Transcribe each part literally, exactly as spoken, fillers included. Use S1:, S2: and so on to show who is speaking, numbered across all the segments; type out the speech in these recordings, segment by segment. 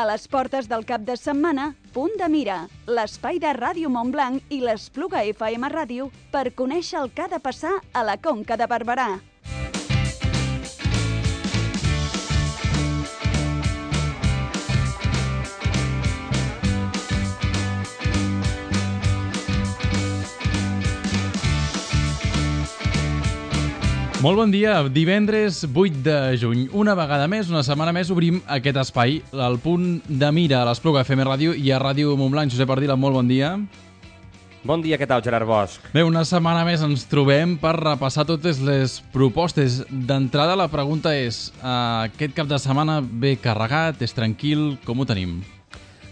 S1: A les portes del cap de setmana, Punt de Mira, l'espai de Ràdio Montblanc i l'Espluga F M Ràdio per conèixer el que ha de passar a la Conca de Barberà.
S2: Molt bon dia, divendres vuit de juny. Una vegada més, una setmana més, obrim aquest espai, al Punt de Mira, a l'Espluga F M Ràdio i a Ràdio Montblanc. Josep Ardila, molt bon dia.
S3: Bon dia, què tal, Gerard Bosch?
S2: Bé, una setmana més ens trobem per repassar totes les propostes. D'entrada, la pregunta és, uh, aquest cap de setmana ve carregat, és tranquil, com ho tenim?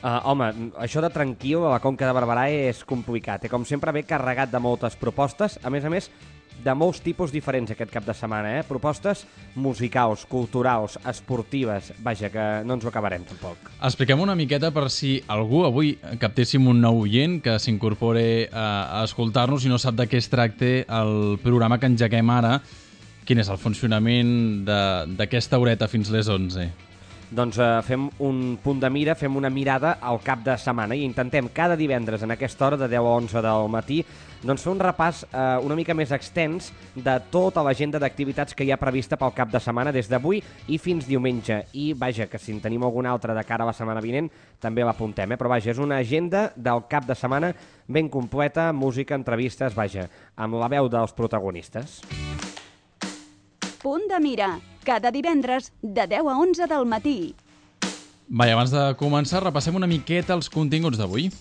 S3: Uh, home, això de tranquil a la Conca de Barberà és complicat. Eh? Com sempre, ve carregat de moltes propostes. A més a més, de molts tipus diferents aquest cap de setmana, eh? Propostes musicals, culturals, esportives, vaja, que no ens ho acabarem tampoc.
S2: Expliquem una miqueta per si algú avui captéssim un nou oient que s'incorpore a escoltar-nos i no sap de què es tracta el programa que engeguem ara. Quin és el funcionament d'aquesta horeta fins les onze?
S3: Doncs eh, fem un punt de mira, fem una mirada al cap de setmana i intentem cada divendres en aquesta hora de deu a onze del matí doncs fer un repàs eh, una mica més extens de tota l'agenda d'activitats que hi ha prevista pel cap de setmana des d'avui i fins diumenge. I vaja, que si en tenim alguna altra de cara a la setmana vinent també l'apuntem, eh? Però vaja, és una agenda del cap de setmana ben completa, música, entrevistes, vaja, amb la veu dels protagonistes.
S1: Punt de Mira, cada divendres de deu a onze del matí.
S2: Va, i abans de començar, repassem una miqueta els continguts d'avui.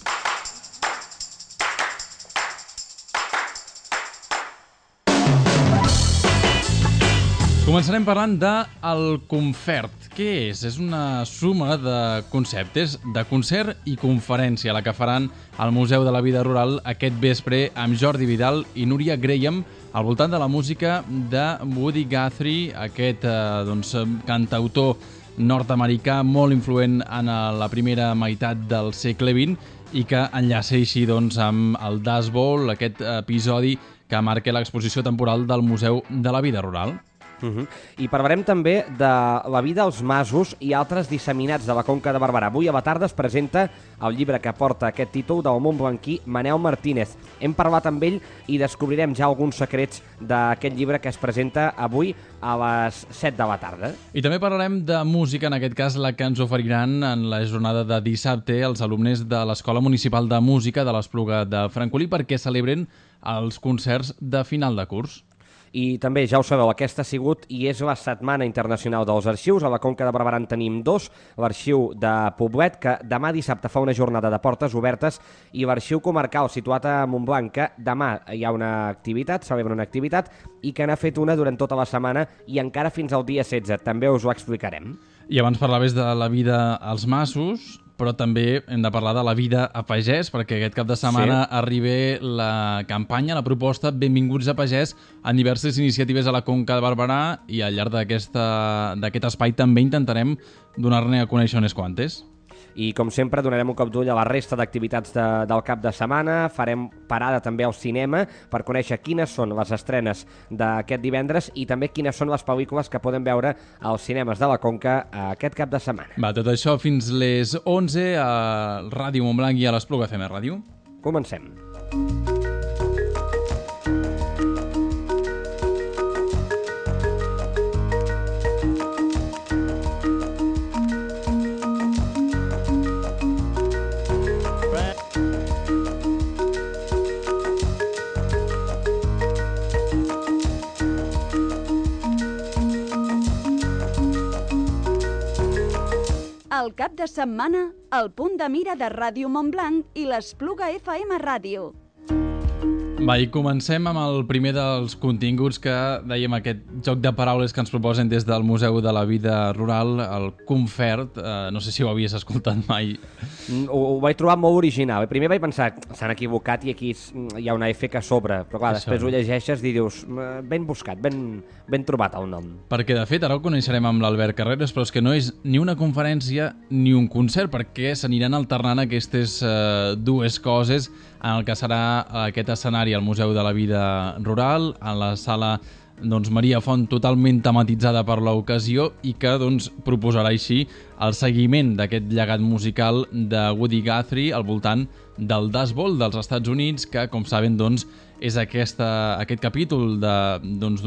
S2: Començarem parlant de el Confert. Què és? És una suma de conceptes de concert i conferència, la que faran al Museu de la Vida Rural aquest vespre amb Jordi Vidal i Núria Graham al voltant de la música de Woody Guthrie, aquest eh, doncs, cantautor nord-americà molt influent en la primera meitat del segle vint i que enllaça així doncs, amb el Dust Bowl, aquest episodi que marca l'exposició temporal del Museu de la Vida Rural.
S3: Uh -huh. I parlarem també de la vida als masos i altres disseminats de la Conca de Barberà. Avui a la tarda es presenta el llibre que porta aquest títol del montblanquí Manel Martínez. Hem parlat amb ell i descobrirem ja alguns secrets d'aquest llibre que es presenta avui a les set de la tarda.
S2: I també parlarem de música, en aquest cas la que ens oferiran en la jornada de dissabte els alumnes de l'Escola Municipal de Música de l'Espluga de Francolí perquè celebren els concerts de final de curs.
S3: I també, ja ho sabeu, aquesta ha sigut i és la Setmana Internacional dels Arxius. A la Conca de Barberà en tenim dos, l'arxiu de Poblet, que demà dissabte fa una jornada de portes obertes, i l'arxiu comarcal, situat a Montblanc, que demà hi ha una activitat, celebra una activitat, i que n'ha fet una durant tota la setmana i encara fins al dia setze. També us ho explicarem.
S2: I abans parlaves de la vida als masos, però també hem de parlar de la vida a pagès, perquè aquest cap de setmana sí. arriba la campanya, la proposta Benvinguts a Pagès en diverses iniciatives a la Conca de Barberà i al llarg d'aquest espai també intentarem donar-ne a conèixer unes quantes.
S3: I, com sempre, donarem un cop d'ull a la resta d'activitats de, del cap de setmana. Farem parada també al cinema per conèixer quines són les estrenes d'aquest divendres i també quines són les pel·lícules que podem veure als cinemes de la Conca aquest cap de setmana.
S2: Va, tot això fins les onze a Ràdio Montblanc i a l'Espluga F M Ràdio.
S3: Comencem.
S1: El cap de setmana, el Punt de Mira de Ràdio Montblanc i l'Espluga F M Ràdio.
S2: Va, i comencem amb el primer dels continguts que dèiem, aquest joc de paraules que ens proposen des del Museu de la Vida Rural, el Confert. Eh, no sé si ho havies escoltat mai.
S3: Ho, ho vaig trobar molt original. Primer vaig pensar, s'han equivocat i aquí hi ha una F que sobre, però clar, Això. després ho llegeixes i dius, ben buscat, ben, ben trobat el nom.
S2: Perquè, de fet, ara ho coneixerem amb l'Albert Carreras, però és que no és ni una conferència ni un concert, perquè s'aniran alternant aquestes eh, dues coses en el que serà aquest escenari al Museu de la Vida Rural, a la sala doncs, Maria Font totalment tematitzada per l'ocasió i que doncs, proposarà així el seguiment d'aquest llegat musical de Woody Guthrie al voltant del Dust Bowl dels Estats Units, que, com saben, doncs, és aquesta, aquest capítol d'una doncs,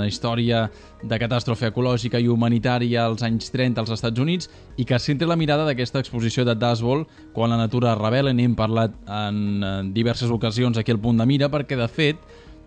S2: història de catàstrofe ecològica i humanitària als anys trenta als Estats Units i que centra la mirada d'aquesta exposició de Dust Bowl quan la natura es rebel·la. N'hem parlat en diverses ocasions aquí al Punt de Mira perquè, de fet,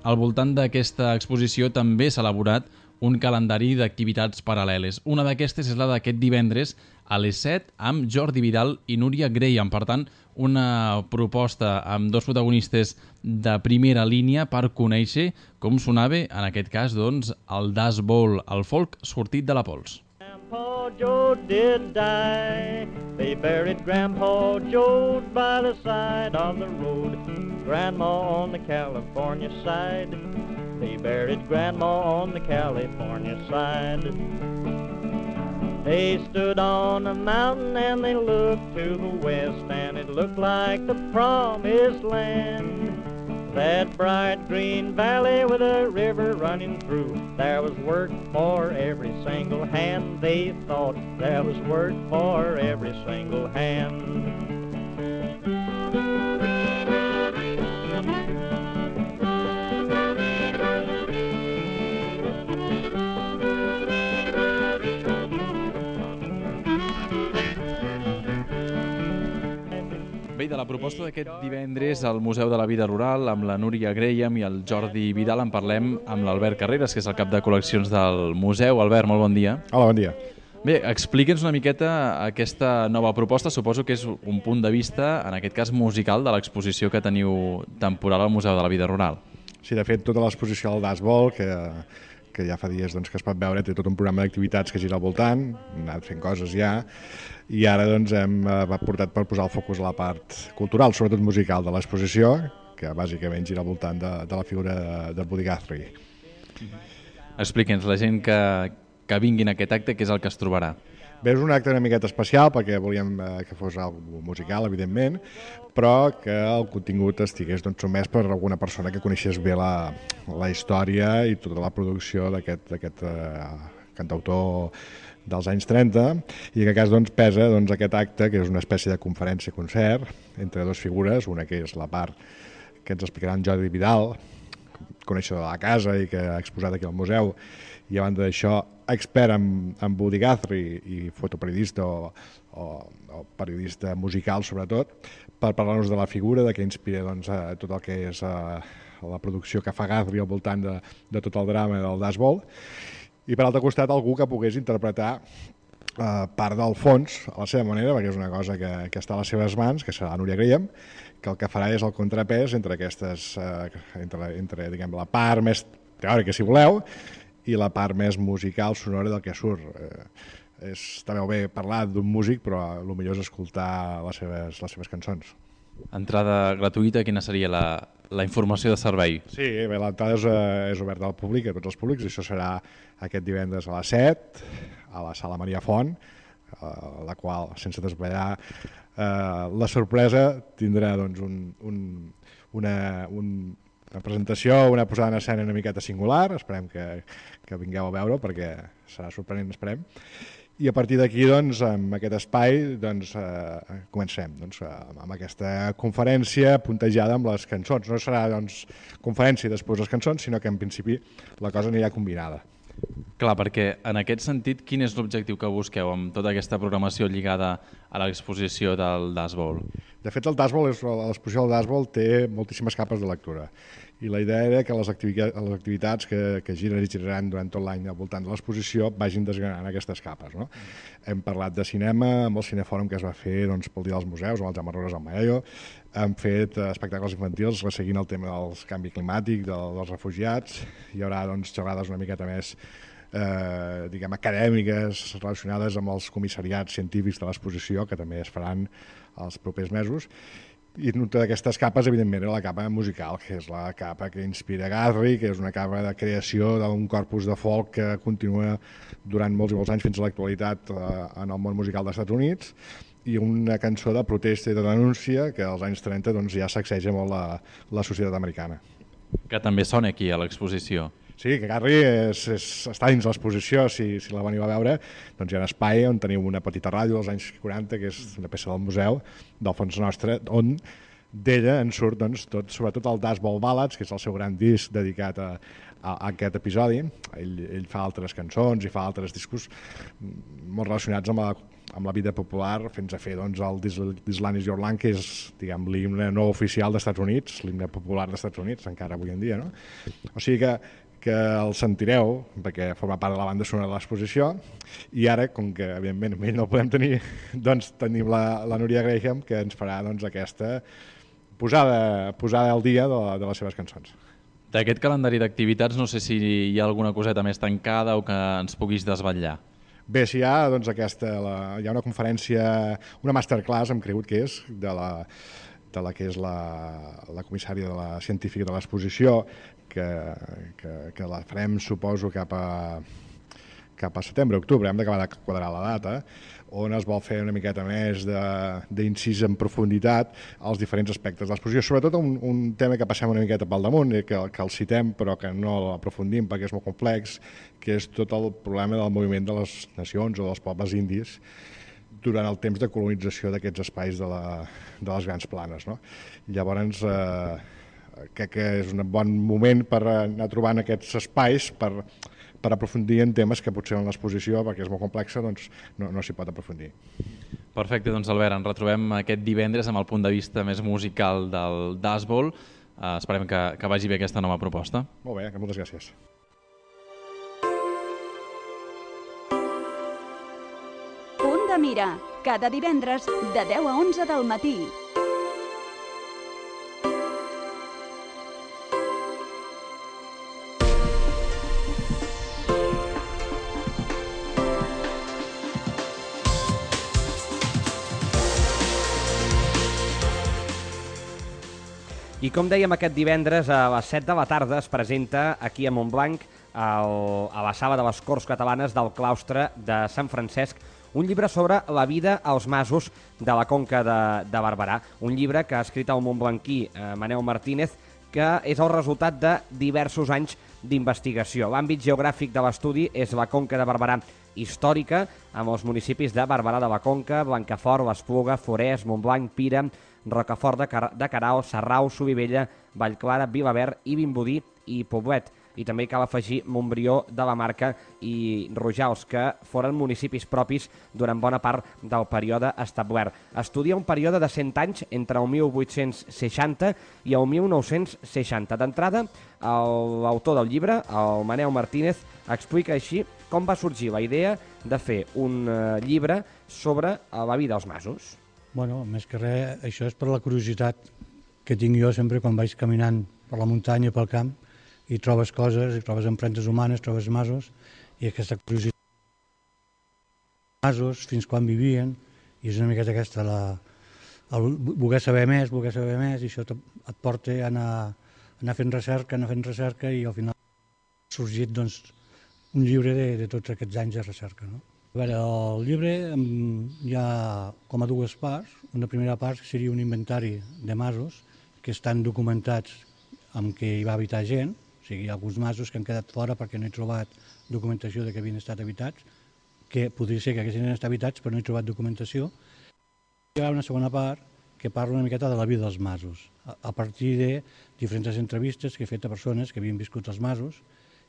S2: al voltant d'aquesta exposició també s'ha elaborat un calendari d'activitats paral·leles. Una d'aquestes és la d'aquest divendres a les set amb Jordi Vidal i Núria Graham. Per tant, una proposta amb dos protagonistes de primera línia per conèixer com sonava, en aquest cas, doncs, el Dust Bowl, el folk sortit de la pols.
S4: Grandpa Joe did die. They buried Grandpa Joe by the side of the road. Grandma on the California side. They buried Grandma on the California side. They stood on a mountain and they looked to the west, and it looked like the promised land. That bright green valley with a river running through, there was work for every single hand. They thought there was work for every single hand.
S2: Bé, de la proposta d'aquest divendres al Museu de la Vida Rural, amb la Núria Graham i el Jordi Vidal, en parlem amb l'Albert Carreras, que és el cap de col·leccions del museu. Albert, molt bon dia.
S5: Hola, bon dia.
S2: Bé, explica'ns una miqueta aquesta nova proposta. Suposo que és un punt de vista, en aquest cas musical, de l'exposició que teniu temporal al Museu de la Vida Rural.
S5: Sí, de fet, tota l'exposició del Dust Bowl, que, que ja fa dies doncs, que es pot veure, té tot un programa d'activitats que gira al voltant, hem anat fent coses ja, i ara doncs, hem eh, portat per posar el focus a la part cultural, sobretot musical, de l'exposició, que bàsicament gira al voltant de, de la figura de, de Woody Guthrie.
S2: Explica'ns, la gent que, que vingui en aquest acte, què és el que es trobarà?
S5: Bé, és un acte una miqueta especial perquè volíem eh, que fos algo musical, evidentment, però que el contingut estigués doncs, sotmès per alguna persona que coneixés bé la, la història i tota la producció d'aquest eh, cantautor dels anys trenta, i en aquest cas doncs, pesa doncs, aquest acte, que és una espècie de conferència-concert entre dues figures, una que és la part que ens explicarà en Jordi Vidal, coneixedor de la casa i que ha exposat aquí al museu, i a banda d'això, expert en, en Woody Guthrie i fotoperiodista o, o, o periodista musical, sobretot, per parlar-nos de la figura, de què inspira doncs, a tot el que és a, a la producció que fa Guthrie al voltant de, de tot el drama del Dust Bowl, i per altre costat algú que pogués interpretar eh, part del fons a la seva manera, perquè és una cosa que, que està a les seves mans, que serà Núria Graham, que el que farà és el contrapès entre aquestes, eh, entre, entre diguem, la part més teòrica, si voleu, i la part més musical, sonora del que surt. Eh, és, està bé parlar d'un músic, però el millor és escoltar les seves, les seves cançons.
S2: Entrada gratuïta, quina seria la, la informació de servei?
S5: Sí, bé, l'entrada és, eh, és oberta al públic, a tots els públics, i això serà aquest divendres a les set, a la Sala Maria Font, eh, la qual, sense desvetllar eh, la sorpresa, tindrà doncs, un, un, una, un, una presentació, una posada en escena una miqueta singular, esperem que, que vingueu a veure perquè serà sorprenent, esperem. I a partir d'aquí, doncs, amb aquest espai, doncs, eh, comencem doncs, amb aquesta conferència puntejada amb les cançons. No serà doncs, conferència i després les cançons, sinó que en principi la cosa anirà combinada.
S2: Clar, perquè en aquest sentit, quin és l'objectiu que busqueu amb tota aquesta programació lligada a l'exposició del Dust Bowl?
S5: De fet, el Dust Bowl, l'exposició del Dust Bowl té moltíssimes capes de lectura. I la idea era que les activitats, les activitats que, que giren i giraran durant tot l'any al voltant de l'exposició vagin desgranant aquestes capes. No? Mm. Hem parlat de cinema, amb el cinefòrum que es va fer doncs, pel Dia dels Museus, amb el Jaume Rores al Maello. Hem fet espectacles infantils seguint el tema del canvi climàtic, de, dels refugiats. Hi haurà doncs, xerrades una miqueta més eh, diguem, acadèmiques relacionades amb els comissariats científics de l'exposició, que també es faran els propers mesos. I una d'aquestes capes, evidentment, era la capa musical, que és la capa que inspira Guthrie, que és una capa de creació d'un corpus de folk que continua durant molts i molts anys fins a l'actualitat eh, en el món musical dels Estats Units, i una cançó de protesta i de denúncia que als anys trenta doncs, ja sacseja molt la, la societat americana.
S2: Que també sona aquí a l'exposició.
S5: Sí, que Garri és, és, està dins l'exposició, si, si la veniu a veure, doncs hi ha un espai on teniu una petita ràdio dels anys quaranta, que és una peça del museu del fons nostre, on d'ella en surt doncs, tot, sobretot el Dashball Ballads, que és el seu gran disc dedicat a, a, a aquest episodi. Ell, ell fa altres cançons i fa altres discos molt relacionats amb la, amb la vida popular, fins a fer doncs, el This Land Is Your Land, que és diguem, l'himne no oficial dels Estats Units, l'himne popular dels Estats Units, encara avui en dia. No? O sigui que que el sentireu, perquè forma part de la banda sonora de l'exposició, i ara, com que evidentment ell no el podem tenir, doncs tenim la, la Núria Graham, que ens farà doncs, aquesta posada, posada al dia de, de les seves cançons.
S2: D'aquest calendari d'activitats no sé si hi ha alguna coseta més tancada o que ens puguis desvetllar.
S5: Bé, si hi ha, doncs aquesta, la, hi ha una conferència, una masterclass, hem cregut que és, de la, de la que és la, la comissària de la científica de l'exposició, que, que, que la farem, suposo, cap a, cap a setembre, octubre, hem d'acabar de quadrar la data, on es vol fer una miqueta més d'incís en profunditat als diferents aspectes de l'exposició, sobretot un, un tema que passem una miqueta pel damunt, que, que el citem però que no l'aprofundim perquè és molt complex, que és tot el problema del moviment de les nacions o dels pobles indis durant el temps de colonització d'aquests espais de, la, de les grans planes. No? Llavors, eh, crec que és un bon moment per anar trobant aquests espais per, per aprofundir en temes que potser en l'exposició, perquè és molt complexa, doncs no, no s'hi pot aprofundir.
S2: Perfecte, doncs Albert, ens retrobem aquest divendres amb el punt de vista més musical del Dashball. Uh, esperem que, que vagi bé aquesta nova proposta.
S5: Molt bé, moltes gràcies.
S1: Punt de mira, cada divendres de deu a onze del matí.
S3: I com dèiem, aquest divendres a les set de la tarda es presenta aquí a Montblanc, el, a la sala de les Corts Catalanes del claustre de Sant Francesc, un llibre sobre la vida als masos de la Conca de, de Barberà. Un llibre que ha escrit el montblanquí eh, Manel Martínez, que és el resultat de diversos anys d'investigació. L'àmbit geogràfic de l'estudi és la Conca de Barberà històrica, amb els municipis de Barberà de la Conca, Blancafort, l'Espluga, Forès, Montblanc, Pira, Rocafort de, Car de Carau, Sarrau, Solivella, Vallclara, Vilaverd i Vimbodí i Poblet. I també cal afegir Montbrió de la Marca i Rojals, que foren municipis propis durant bona part del període establert. Estudia un període de cent anys entre el mil vuit-cents seixanta i el mil nou-cents seixanta. D'entrada, l'autor del llibre, el Manel Martínez, explica així com va sorgir la idea de fer un eh, llibre sobre la vida als masos.
S6: Bueno, més que res, això és per la curiositat que tinc jo sempre quan vaig caminant per la muntanya, pel camp, i trobes coses, i trobes empremtes humanes, trobes masos, i aquesta curiositat masos, fins quan vivien, i és una miqueta aquesta, la, el voler saber més, voler saber més, i això et porta a anar, a anar fent recerca, anar fent recerca, i al final ha sorgit doncs, un llibre de, de tots aquests anys de recerca, no? A veure, el llibre hi ha com a dues parts. Una primera part seria un inventari de masos que estan documentats amb què hi va habitar gent, o sigui, hi ha alguns masos que han quedat fora perquè no he trobat documentació de que havien estat habitats, que podria ser que haguessin estat habitats però no he trobat documentació. Hi ha una segona part que parla una miqueta de la vida dels masos, a partir de diferents entrevistes que he fet a persones que havien viscut als masos,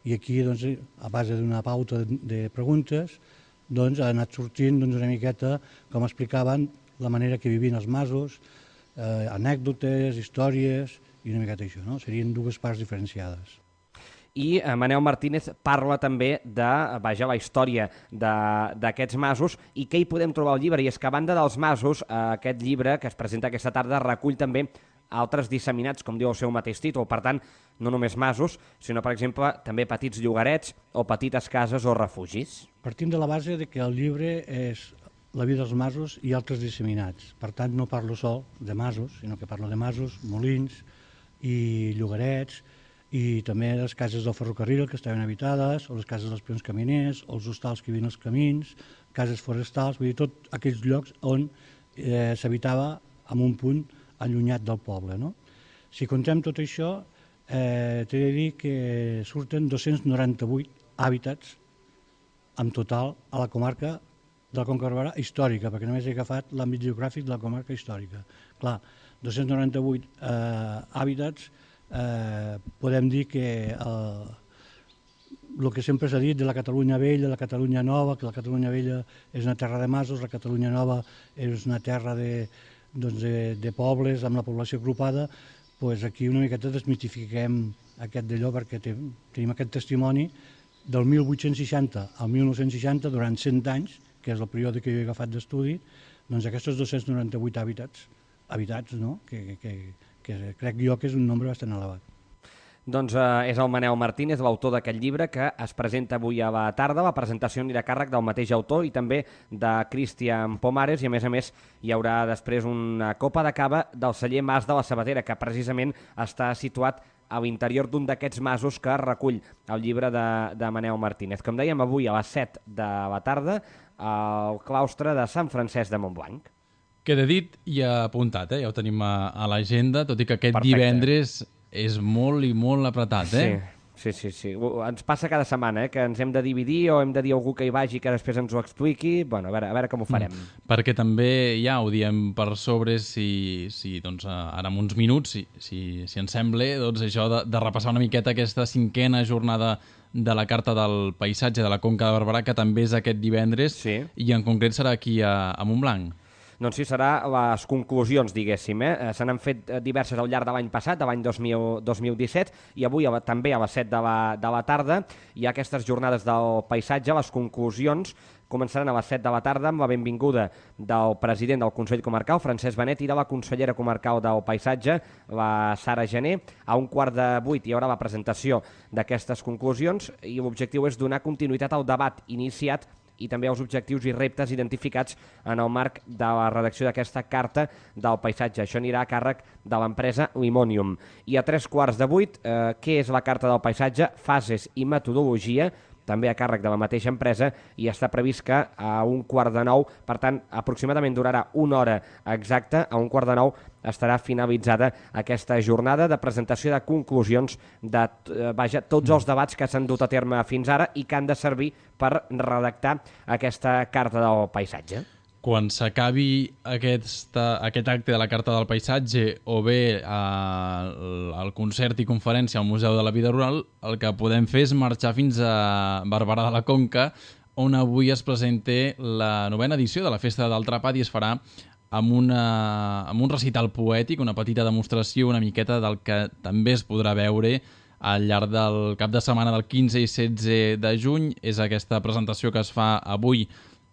S6: i aquí, doncs, a base d'una pauta de preguntes, doncs, ha anat sortint doncs, una miqueta com explicaven la manera que vivien els masos, eh, anècdotes, històries i una miqueta això, no? Serien dues parts diferenciades.
S3: I eh, Manel Martínez parla també de, vaja, la història d'aquests masos i què hi podem trobar al llibre. I és que a banda dels masos, eh, aquest llibre que es presenta aquesta tarda recull també altres disseminats, com diu el seu mateix títol. Per tant, no només masos, sinó, per exemple, també petits llogarets o petites cases o refugis.
S6: Partim de la base de que el llibre és la vida dels masos i altres disseminats. Per tant, no parlo sol de masos, sinó que parlo de masos, molins i llogarets, i també les cases del ferrocarril que estaven habitades, o les cases dels peons caminers, o els hostals que hi havia als camins, cases forestals, vull dir, tots aquells llocs on eh, s'habitava en un punt allunyat del poble, no? Si contem tot això, eh, t'he de dir que surten dos-cents noranta-vuit hàbitats en total a la comarca de la Conca de Barberà històrica, perquè només he agafat l'àmbit geogràfic de la comarca històrica. Clar, dos-cents noranta-vuit eh, hàbitats, eh, podem dir que el, el que sempre s'ha dit de la Catalunya Vella, la Catalunya Nova, que la Catalunya Vella és una terra de masos, la Catalunya Nova és una terra de, doncs de, de pobles amb la població agrupada, doncs aquí una miqueta desmitifiquem aquest d'allò perquè te, tenim aquest testimoni del mil vuit-cents seixanta al mil nou-cents seixanta, durant cent anys, que és el període que jo he agafat d'estudi, doncs aquests dos-cents noranta-vuit hàbitats, habitats, no? que, que, que crec jo que és un nombre bastant elevat.
S3: Doncs eh, és el Manel Martínez, l'autor d'aquest llibre, que es presenta avui a la tarda. La presentació anirà a càrrec del mateix autor i també de Cristian Pomares, i a més a més hi haurà després una copa de cava del celler Mas de la Sabatera, que precisament està situat a l'interior d'un d'aquests masos que recull el llibre de, de Manel Martínez. Com dèiem, avui a les set de la tarda al claustre de Sant Francesc de Montblanc.
S2: Queda dit i apuntat, eh? Ja ho tenim a, a l'agenda, tot i que aquest
S3: Perfecte.
S2: Divendres és molt i molt apretat, eh?
S3: Sí. Sí, sí, sí. Ens passa cada setmana, eh, que ens hem de dividir o hem de dir a algú que hi vagi que després ens ho expliqui. Bueno, a veure, a veure com ho farem. Mm.
S2: Perquè també ja ho diem per sobre, si, si doncs, ara en uns minuts, si, si, si ens sembla, doncs això de, de repassar una miqueta aquesta cinquena jornada de la Carta del Paisatge de la Conca de Barberà, que també és aquest divendres,
S3: sí.
S2: I en concret serà aquí a, a Montblanc.
S3: Doncs sí, serà les conclusions, diguéssim. Eh? Se n'han fet diverses al llarg de l'any passat, de l'any dos mil disset, i avui també a les set de la, de la tarda hi ha aquestes jornades del paisatge. Les conclusions començaran a les set de la tarda amb la benvinguda del president del Consell Comarcal, Francesc Benet, i de la consellera comarcal del Paisatge, la Sara Gené. A un quart de vuit hi haurà la presentació d'aquestes conclusions i l'objectiu és donar continuïtat al debat iniciat i també els objectius i reptes identificats en el marc de la redacció d'aquesta Carta del Paisatge. Això anirà a càrrec de l'empresa Limonium. I a tres quarts de vuit, eh, què és la Carta del Paisatge? Fases i metodologia, també a càrrec de la mateixa empresa, i està previst que a un quart de nou, per tant, aproximadament durarà una hora exacta, a un quart de nou estarà finalitzada aquesta jornada de presentació de conclusions de eh, vaja, tots els debats que s'han dut a terme fins ara i que han de servir per redactar aquesta Carta del Paisatge.
S2: Quan s'acabi aquest, aquest acte de la Carta del Paisatge o bé el, el concert i conferència al Museu de la Vida Rural, el que podem fer és marxar fins a Barberà de la Conca, on avui es presenta la novena edició de la Festa del Trapat i es farà amb, una, amb un recital poètic, una petita demostració una miqueta del que també es podrà veure al llarg del cap de setmana del quinze i setze de juny. És aquesta presentació que es fa avui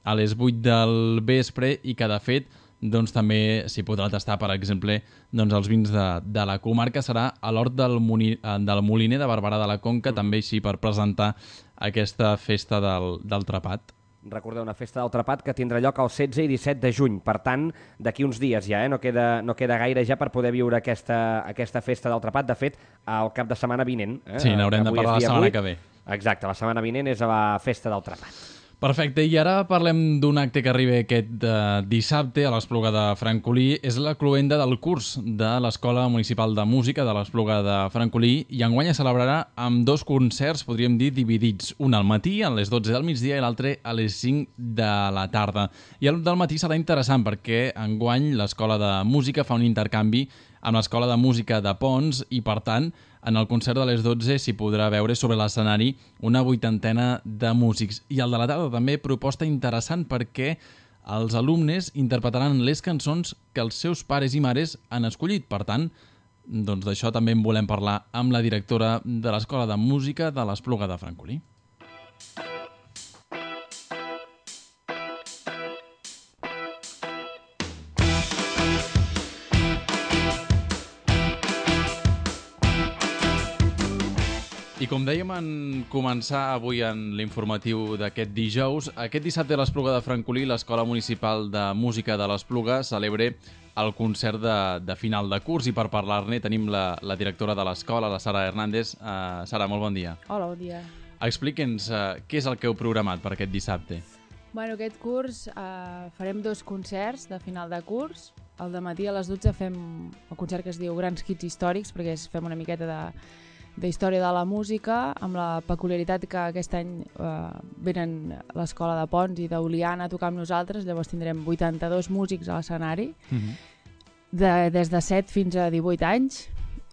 S2: a les vuit del vespre i que, de fet, doncs, també s'hi podrà tastar, per exemple, doncs, els vins de, de la comarca. Serà a l'hort del, del Moliner de Barberà de la Conca, mm. també així per presentar aquesta festa del, del Trapat.
S3: Recordeu, una festa del Trapat que tindrà lloc el setze i disset de juny. Per tant, d'aquí uns dies ja, eh? no, queda, no queda gaire ja per poder viure aquesta, aquesta festa del Trapat. De fet, al cap de setmana vinent. Eh?
S2: Sí, n'haurem de parlar la setmana vuit. que ve.
S3: Exacte, la setmana vinent és la festa del Trapat.
S2: Perfecte, i ara parlem d'un acte que arriba aquest uh, dissabte a l'Espluga de Francolí. És la cloenda del curs de l'Escola Municipal de Música de l'Espluga de Francolí i enguany es celebrarà amb dos concerts, podríem dir, dividits. Un al matí, a les dotze del migdia, i l'altre a les cinc de la tarda. I el del matí serà interessant perquè enguany l'Escola de Música fa un intercanvi amb l'Escola de Música de Pons i, per tant, en el concert de les dotze s'hi podrà veure sobre l'escenari una vuitantena de músics. I el de la tarda també proposta interessant perquè els alumnes interpretaran les cançons que els seus pares i mares han escollit. Per tant, doncs d'això també en volem parlar amb la directora de l'Escola de Música de l'Espluga de Francolí. I com dèiem en començar avui en l'informatiu d'aquest dijous, aquest dissabte a l'Espluga de Francolí l'Escola Municipal de Música de l'Espluga celebra el concert de, de final de curs i per parlar-ne tenim la, la directora de l'escola, la Sara Hernández. Uh, Sara, molt bon dia.
S7: Hola, bon dia.
S2: Explica'ns uh, què és el que heu programat per aquest dissabte.
S7: Bueno, aquest curs uh, farem dos concerts de final de curs. al dematí a les dotze fem el concert que es diu Grans Hits Històrics, perquè fem una miqueta de d'història de la música, amb la peculiaritat que aquest any eh, venen l'Escola de Pons i d'Oliana a tocar amb nosaltres, llavors tindrem vuitanta-dos músics a l'escenari, mm-hmm. de, des de set fins a divuit anys,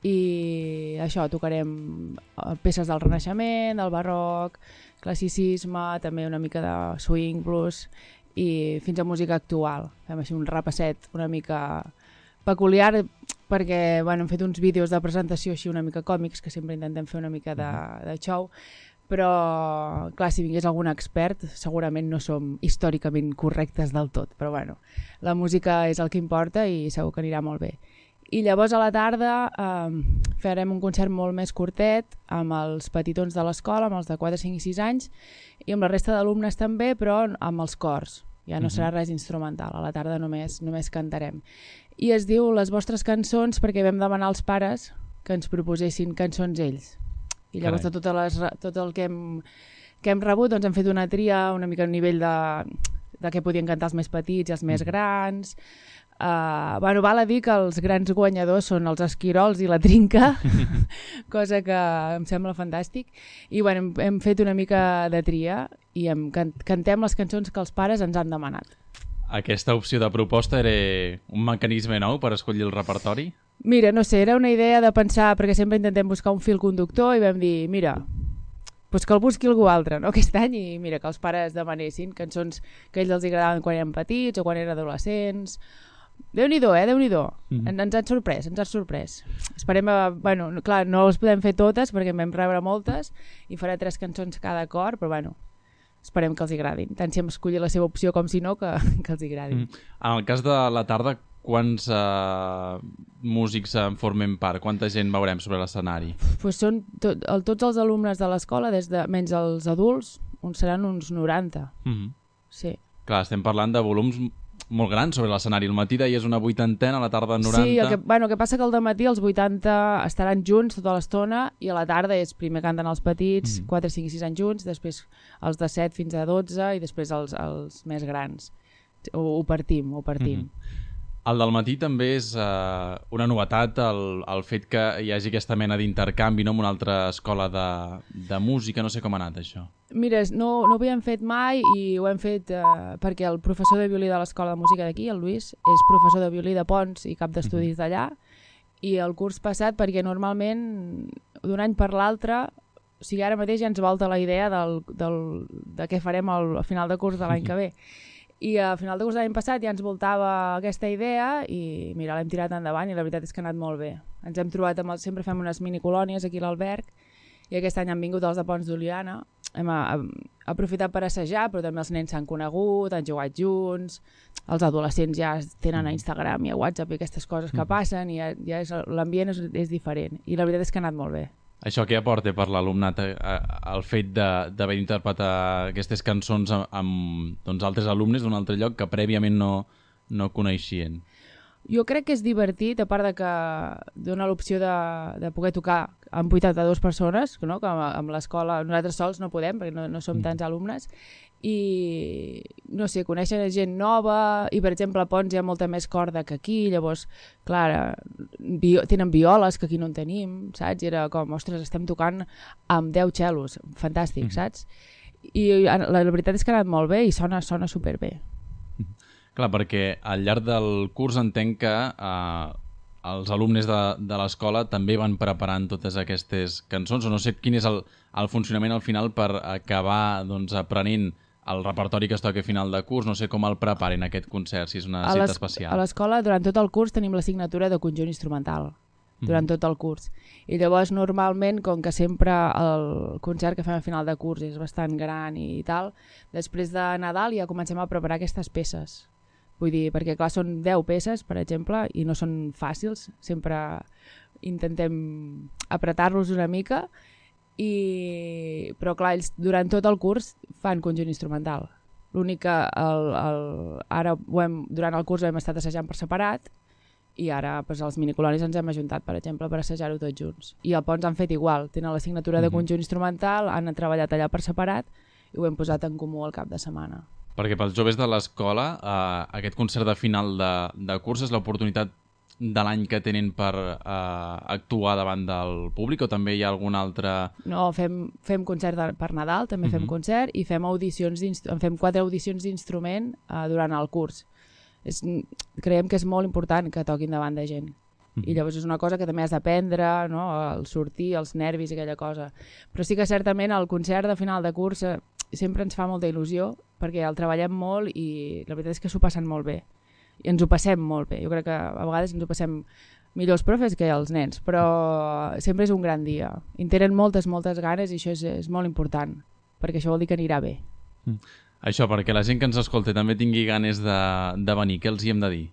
S7: i això, tocarem peces del Renaixement, del Barroc, classicisme, també una mica de swing, blues, i fins a música actual. Fem així un repasset una mica peculiar, perquè bueno, hem fet uns vídeos de presentació així una mica còmics, que sempre intentem fer una mica de, de show, però clar, si vingués algun expert segurament no som històricament correctes del tot, però bueno, la música és el que importa i segur que anirà molt bé. I llavors a la tarda eh, farem un concert molt més curtet amb els petitons de l'escola, amb els de quatre, cinc i sis anys, i amb la resta d'alumnes també, però amb els cors. Ja no serà res instrumental, a la tarda només, només cantarem. I es diu Les vostres cançons perquè vam demanar als pares que ens proposessin cançons ells. I llavors de totes les, tot el que hem, que hem rebut doncs hem fet una tria una mica a nivell de, de què podien cantar els més petits i els més grans. Uh, bueno, val a dir que els grans guanyadors són els esquirols i la trinca, cosa que em sembla fantàstic. I bueno, hem, hem fet una mica de tria i hem, can, cantem les cançons que els pares ens han demanat.
S2: Aquesta opció de proposta era un mecanisme nou per escollir el repertori?
S7: Mira, no sé, era una idea de pensar, perquè sempre intentem buscar un fil conductor i vam dir, mira, pues que el busqui algú altre, no? Aquest any, i mira, que els pares demanessin cançons que a ells els agradaven quan eren petits o quan eren adolescents. Déu-n'hi-do, eh? Déu-n'hi-do. Mm-hmm. En, ens han sorprès, ens han sorprès. Esperem, a, bueno, clar, no les podem fer totes perquè en vam rebre moltes i farà tres cançons cada cor, però bueno, esperem que els agradin. Tant si hem escollit la seva opció com si no, que, que els agradin. Mm.
S2: En el cas de la tarda, quants uh, músics en formem part? Quanta gent veurem sobre l'escenari?
S7: Pues són tot, el, tots els alumnes de l'escola, des de, menys els adults, uns seran uns noranta. Mm-hmm. Sí. Clar,
S2: estem parlant de volums molt grans sobre l'escenari. El matí deies una vuitantena, a la tarda noranta...
S7: Sí, el que, bueno, el que passa que al dematí els vuitanta estaran junts tota l'estona i a la tarda és primer canten els petits, mm. quatre, cinc i sis anys junts, després els de set fins a dotze i després els, els més grans. Ho, ho partim, ho partim. Mm.
S2: El del matí també és uh, una novetat, el, el fet que hi hagi aquesta mena d'intercanvi, no?, amb una altra escola de, de música. No sé com ha anat això.
S7: Mira, no, no ho havíem fet mai i ho hem fet uh, perquè el professor de violí de l'escola de música d'aquí, el Lluís, és professor de violí de Pons i cap d'estudis d'allà, i el curs passat perquè normalment d'un any per l'altre, o sigui, ara mateix ja ens volta la idea del, del, de què farem al, al final de curs de l'any que ve. I a final de curs de l'any passat ja ens voltava aquesta idea i mira, l'hem tirat endavant i la veritat és que ha anat molt bé. Ens hem trobat amb el, sempre fem unes minicolònies aquí a l'Alberg i aquest any han vingut els de Pons d'Oliana. Hem a, a, aprofitat per assajar, però també els nens s'han conegut, han jugat junts, els adolescents ja tenen a Instagram i a WhatsApp i aquestes coses que passen i ja, ja és, l'ambient és, és diferent i la veritat és que ha anat molt bé.
S2: Això què aporta per l'alumnat el fet d'haver d'interpretar aquestes cançons amb, amb doncs, altres alumnes d'un altre lloc que prèviament no, no coneixien?
S7: Jo crec que és divertit, a part de que dona l'opció de, de poder tocar amb vuitanta-dues persones, no? Que amb l'escola nosaltres sols no podem perquè no, no som tants alumnes, i no sé, coneixen gent nova i per exemple a Pons hi ha molta més corda que aquí, llavors clar, bio, tenen violes que aquí no en tenim, saps? I era com, ostres, estem tocant amb deu xelos, fantàstic, saps? I la, la veritat és que ha anat molt bé i sona, sona superbé.
S2: Clar, perquè al llarg del curs entenc que eh, els alumnes de, de l'escola també van preparant totes aquestes cançons, o no sé quin és el, el funcionament al final per acabar doncs, aprenent el repertori que es toca a final de curs, no sé com el preparen aquest concert, si és una cita especial.
S7: A l'escola, durant tot el curs, tenim l'assignatura de conjunt instrumental, durant mm. tot el curs. I llavors, normalment, com que sempre el concert que fem a final de curs és bastant gran i tal, després de Nadal ja comencem a preparar aquestes peces. Vull dir, perquè clar, són deu peces, per exemple, i no són fàcils, sempre intentem apretar-los una mica, i... però clar, ells durant tot el curs fan conjunt instrumental. L'únic que el, el... ara ho hem, durant el curs hem estat assajant per separat, i ara pues, els minicolonis ens hem ajuntat, per exemple, per assajar-ho tots junts. I al Pons han fet igual, tenen l'assignatura mm-hmm. de conjunt instrumental, han treballat allà per separat, i ho hem posat en comú al cap de setmana.
S2: Perquè pels joves de l'escola, eh, aquest concert de final de, de curs és l'oportunitat de l'any que tenen per eh, actuar davant del públic, o també hi ha algun altre...
S7: No, fem, fem concert de, per Nadal, també fem uh -huh. concert, i fem audicions fem quatre audicions d'instrument uh, durant el curs. És, creiem que és molt important que toquin davant de gent. Uh -huh. I llavors és una cosa que també has d'aprendre, no? El sortir, els nervis i aquella cosa. Però sí que certament el concert de final de curs eh, sempre ens fa molta il·lusió, perquè el treballem molt i la veritat és que s'ho passen molt bé. I ens ho passem molt bé. Jo crec que a vegades ens ho passem millor els profes que els nens, però sempre és un gran dia. I en tenen moltes, moltes ganes i això és, és molt important, perquè això vol dir que anirà bé.
S2: Mm. Això, perquè la gent que ens escolta també tingui ganes de, de venir, què els hi hem de dir?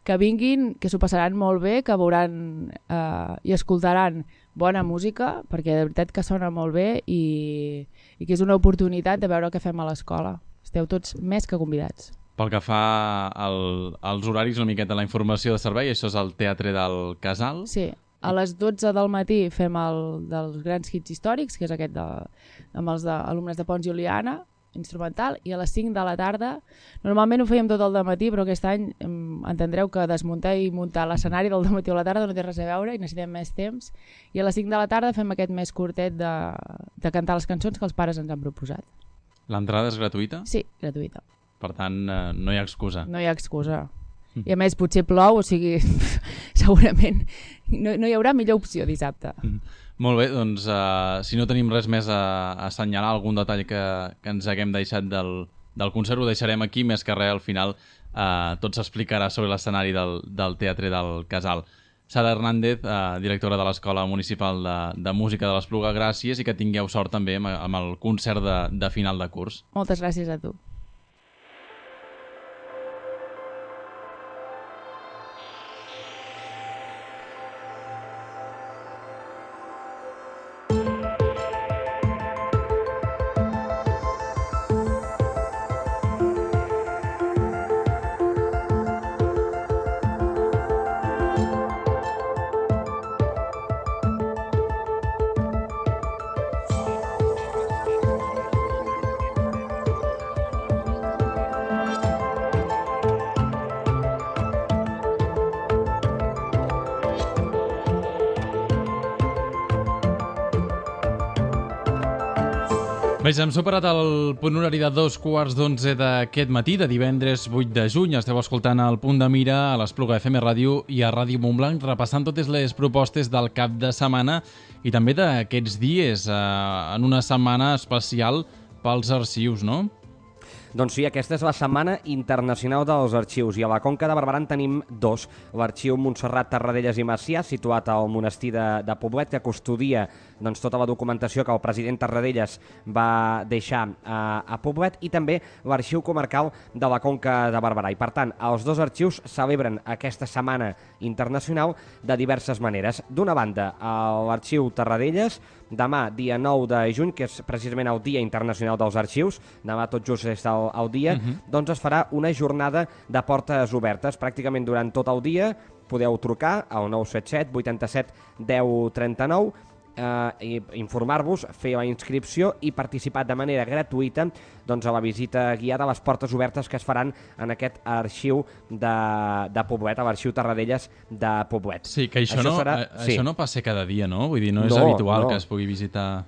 S7: Que vinguin, que s'ho passaran molt bé, que veuran eh, i escoltaran bona música, perquè de veritat que sona molt bé i, i que és una oportunitat de veure el que fem a l'escola. Esteu tots més que convidats.
S2: Pel que fa al, als horaris, una miqueta la informació de servei, això és al Teatre del Casal.
S7: Sí, a les dotze del matí fem el dels grans hits històrics, que és aquest de, amb els de, alumnes de Pons i Oliana, instrumental, i a les cinc de la tarda, normalment ho fèiem tot el dematí, però aquest any em, entendreu que desmuntar i muntar l'escenari del dematí o la tarda no té res a veure i necessitem més temps, i a les cinc de la tarda fem aquest més curtet de, de cantar les cançons que els pares ens han proposat.
S2: L'entrada és gratuïta?
S7: Sí, gratuïta.
S2: Per tant, eh, no hi ha excusa.
S7: No hi ha excusa. Mm. I a més, potser plou, o sigui, segurament no, no hi haurà millor opció dissabte.
S2: Mm. Molt bé, doncs, eh, si no tenim res més a, a assenyalar, algun detall que, que ens haguem deixat del, del concert, ho deixarem aquí, més que res, al final eh, tot s'explicarà sobre l'escenari del, del Teatre del Casal. Sara Hernández, eh, directora de l'Escola Municipal de, de Música de l'Espluga, gràcies i que tingueu sort també amb, amb el concert de, de final de curs.
S7: Moltes gràcies a tu.
S2: Bé, hem superat el punt horari de dos quarts d'onze d'aquest matí, de divendres vuit de juny. Esteu escoltant el Punt de Mira a l'Espluga F M Ràdio i a Ràdio Montblanc, repassant totes les propostes del cap de setmana i també d'aquests dies, eh, en una setmana especial pels arxius, no?
S3: Doncs sí, aquesta és la Setmana Internacional dels Arxius i a la Conca de Barberà en tenim dos. L'Arxiu Montserrat Tarradellas i Macià, situat al monestir de, de Poblet, que custodia doncs, tota la documentació que el president Tarradellas va deixar a, a Poblet, i també l'Arxiu Comarcal de la Conca de Barberà. I per tant, els dos arxius celebren aquesta Setmana Internacional de diverses maneres. D'una banda, l'Arxiu Tarradellas, demà, dia nou de juny, que és precisament el Dia Internacional dels Arxius, demà tot just és el, el dia, uh-huh. doncs es farà una jornada de portes obertes. Pràcticament durant tot el dia podeu trucar al nou set set vuitanta set deu trenta nou, eh, i informar-vos, fer la inscripció i participar de manera gratuïta doncs, a la visita guiada a les portes obertes que es faran en aquest arxiu de, de Poblet, a l'arxiu Tarradellas de Poblet.
S2: Sí, que això, això, no, serà... a,
S3: sí.
S2: això no passa cada dia, no? Vull dir, no és
S3: no,
S2: habitual
S3: no.
S2: que es pugui visitar...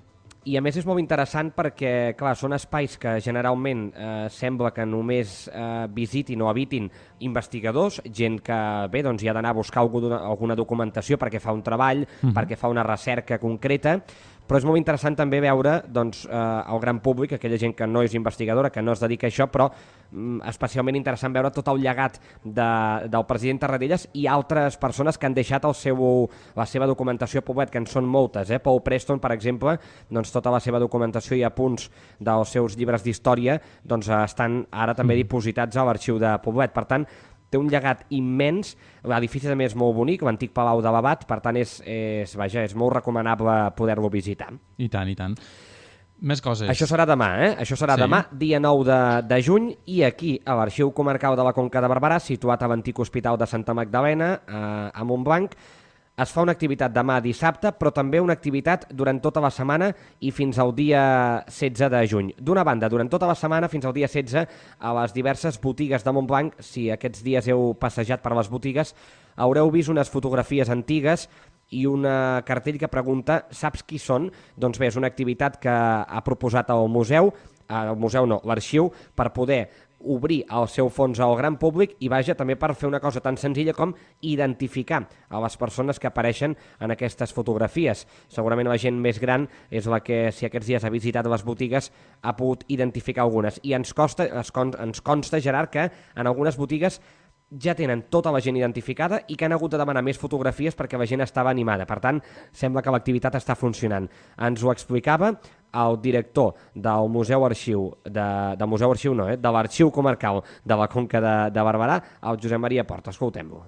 S3: I a més és molt interessant perquè, clar, són espais que generalment eh, sembla que només eh, visitin o habitin investigadors, gent que, bé, doncs hi ha d'anar a buscar alguna, alguna documentació perquè fa un treball, uh-huh. perquè fa una recerca concreta, però és molt interessant també veure doncs, eh, el gran públic, aquella gent que no és investigadora, que no es dedica a això, però mm, especialment interessant veure tot el llegat de, del president Tarradellas i altres persones que han deixat el seu, la seva documentació a Poblet, que en són moltes. Eh? Paul Preston, per exemple, doncs, tota la seva documentació i apunts dels seus llibres d'història doncs, estan ara també dipositats a l'arxiu de Poblet. Per tant, té un llegat immens, l'edifici també és molt bonic, l'antic Palau de l'Abat, per tant és, és, vaja, és molt recomanable poder-lo visitar.
S2: I tant, i tant. Més coses.
S3: Això serà demà, eh? Això serà sí. demà, dia nou de, de juny, i aquí, a l'Arxiu Comarcal de la Conca de Barberà, situat a l'antic Hospital de Santa Magdalena, a, a Montblanc, es fa una activitat demà dissabte, però també una activitat durant tota la setmana i fins al dia setze de juny. D'una banda, durant tota la setmana fins al dia setze, a les diverses botigues de Montblanc, si aquests dies heu passejat per les botigues, haureu vist unes fotografies antigues i una cartell que pregunta «Saps qui són?» Doncs bé, és una activitat que ha proposat el museu, el museu no, l'arxiu, per poder obrir el seu fons al gran públic i vaja també per fer una cosa tan senzilla com identificar a les persones que apareixen en aquestes fotografies. Segurament la gent més gran és la que, si aquests dies ha visitat les botigues, ha pogut identificar algunes. I ens consta, ens consta, Gerard, que en algunes botigues ja tenen tota la gent identificada i que han hagut de demanar més fotografies perquè la gent estava animada. Per tant, sembla que l'activitat està funcionant. Ens ho explicava el director del Museu Arxiu, de, del Museu Arxiu no, eh, de l'Arxiu Comarcal de la Conca de, de Barberà, el Josep Maria Porta. Escoltem-lo.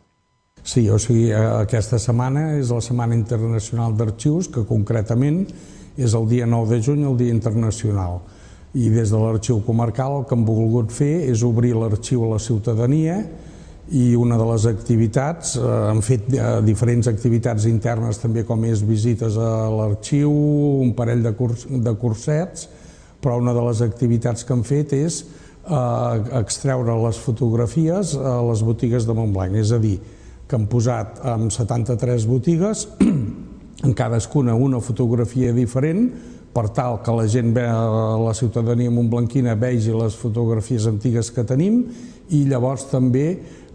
S8: Sí, o sigui, aquesta setmana és la Setmana Internacional d'Arxius, que concretament és el dia nou de juny, el Dia Internacional. I des de l'Arxiu Comarcal el que hem volgut fer és obrir l'arxiu a la ciutadania i una de les activitats, eh, hem fet eh, diferents activitats internes també com és visites a l'arxiu, un parell de, curs, de cursets, però una de les activitats que hem fet és eh, extreure les fotografies a les botigues de Montblanc, és a dir, que hem posat en setanta-tres botigues, en cadascuna una fotografia diferent, per tal que la gent, la ciutadania montblanquina, vegi les fotografies antigues que tenim i llavors també